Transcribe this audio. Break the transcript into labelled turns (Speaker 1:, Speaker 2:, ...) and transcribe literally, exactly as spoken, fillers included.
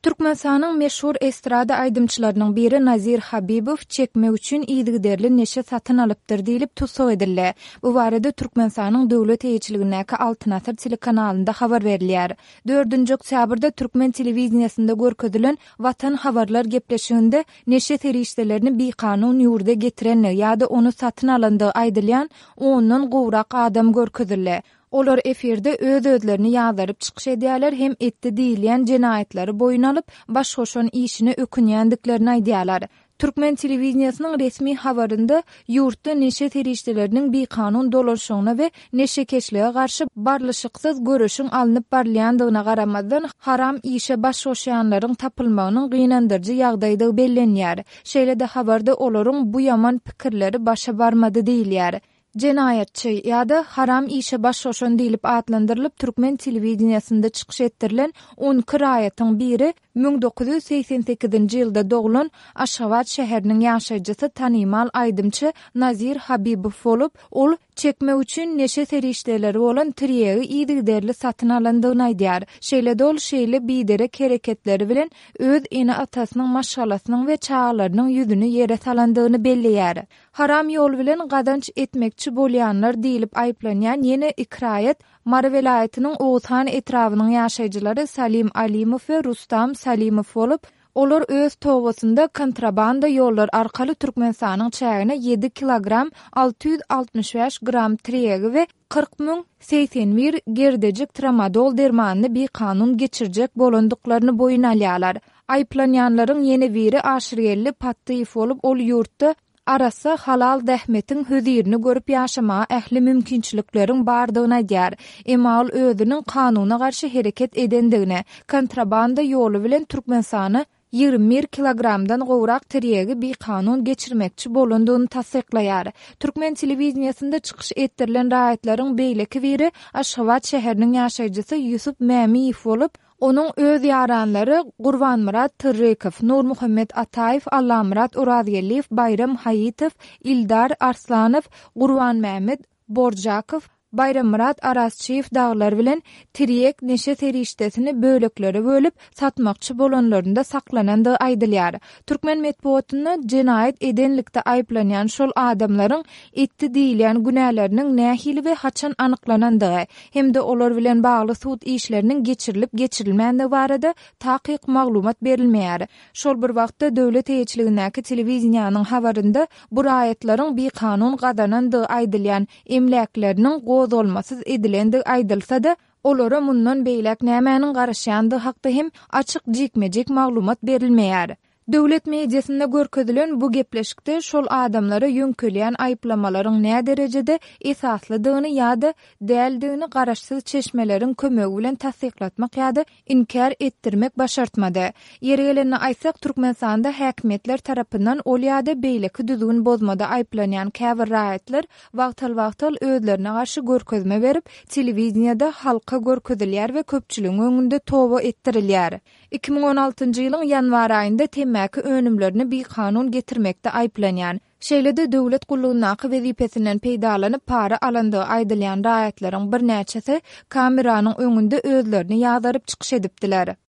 Speaker 1: Türkmenistanyň meşhur estrada aýdymçylarynyň biri Nazir Habibow çekmek üçin yzygiderli neşe satyn alypdyr diýlip tussag edildi. Bu barada Türkmenistanyň döwlet eýeçiligindäki Altyn asyr telekanalynda habar berilýär. Dördünji oktýabrda türkmen telewideniýesinde görkezilen Watan habarlar gepleşiginde neşe serişdelerini bikanun ýurda getirenligi ýa-da ony satyn alandygy aýdylýan ondan gowrak adam görkezildi. Olar efirde öz-özlerini ýazgaryp çykyş edýärler hem etdi diýilýän jenaýatlary boýun alyp, baş goşan işine ökünýändiklerini aýdýarlar. Türkmen telewideniýesiniň resmi habarynda ýurtda neşe serişdeleriniň bikanun dolanyşygyna we neşekeşlige garşy barlyşyksyz göreşiň alnyp barylýandygyna garamazdan, haram işe baş goşýanlaryň tapylmagynyň gynandyryjy ýagdaýdygy bellenýär. Şeýle-de habarda olaryň bu ýaman pikirleri başa barmady diýilýär. Jenaýatçy ýa-da haram işe baş goşan diýlip atlandyrylyp türkmen telewideniýesinde çykyş etdirilen on iki raýatyň biri müň dokuz ýüz segsen sekizinji ýylda doglan Aşgabat şäheriniň ýaşaýjysy tanymal aýdymçy Nazir Habibow bolup, ol çekmek üçin neşe serişdeleri bolan tirýegi yzygiderli satyn alandygyny aýdýar. Şeýle-de ol şeýle biderek hereketleri bilen öz ene-atasynyň, maşgalasynyň we çagalarynyň ýüzüni ýere salandygyny belleýär. Haram ýol bilen gazanç etmekçi bolýanlar diýlip aýyplanýan ýene iki raýat Mary welaýatynyň Oguzhan etrabynyň ýaşaýjylary Salim Alimow we Rustam Salimow bolup, olar öz tobatynda kontrabanda ýollar arkaly Türkmenistanyň çägine ýedi kilogram alty ýüz altmyş bäş gram tirýegi we kyrk müň segsen bir gerdejik tramadol dermanyny bikanun geçirjek bolandyklaryny boýun alýarlar. Aýyplanýanlaryň ýene biri Aşyrgeldi Patdyýew bolup, ol ýurtda arassa halal zähmetiň hözirini görüp ýaşamaga ähli mümkinçilikleriň bardygyny aýdýar. Emma ol özüniň kanuna garşy hereket edendigini, kontrabanda ýoly bilen Türkmenistana ýigrimi bir kilogramdan gowrak tirýegi bikanun geçirmekçi bolandygyny tassyklaýar. Türkmen telewideniýesinde çykyş etdirilen raýatlaryň beýleki biri Aşgabat şäheriniň ýaşaýjysy Ýusup Mämiýew bolup, onuň öz ýaranlary Gurbanmyrat Tyrrykow, Nurmuhammet Ataýew, Allamyrat Orazgeldiýew, Baýram Haýytow, Ildar Arslanow, Gurbanmämmet Borjakow, Baýrammyrat Arazçyýew daglar bilen tirýek neşe serişdesini böleklere bölüp satmakçy bolanlarynda saklanandygy aýdylýar. Türkmen metbugatynda jenaýat edenlikde aýyplanýan şol adamlaryň etdi diýilýän günäleriniň nähili we haçan anyklanandygy hem-de olar bilen bagly sud işleriniň geçirilip geçirilmändigi barada takyk maglumat berilmeýär. Şol bir wagtda döwlet eýeçiligindäki telewideniýanyň habarynda bu raýatlaryň bikanun gazanandygy aýdylýan emläkleriniň gozgalmasyz edilendigi aýdylsa-da, olara mundan beýläk nämäniň garaşýandygy hakda hem açyk jikme-jik maglumat berilmeýär. Döwlet mediasynda görkezilen bu gepleşikde şol adamlara ýöňkelýän aýyplamalaryň nä derejede esaslydygyny ýa-da däldigini garaşsyz çeşmeleriň kömegi bilen tassyklatmak ýa-da inkär etdirmek başartmady. Ýeri gelende aýtsak, Türkmenistanda häkimiýetler tarapyndan ol ýa-da beýleki düzgün bozmada aýyplanýan käbir raýatlar wagtal-wagtal özlerine garşy görkezme berip, telewideniýede halka görkezilýär we köpçüligiň öňünde toba etdirilýär. Iki müň on altynjy ýylyň ýanwar aýynda temmäki önümlerini bikanun getirmekde aýyplanýan, şeýle-de döwlet gullugyndaky wezipesinden peýdalanyp para alandygy aýdylýan raýatlaryň birnäçesi kameranyň öňünde özlerini ýazaryp çykyş edipdiler.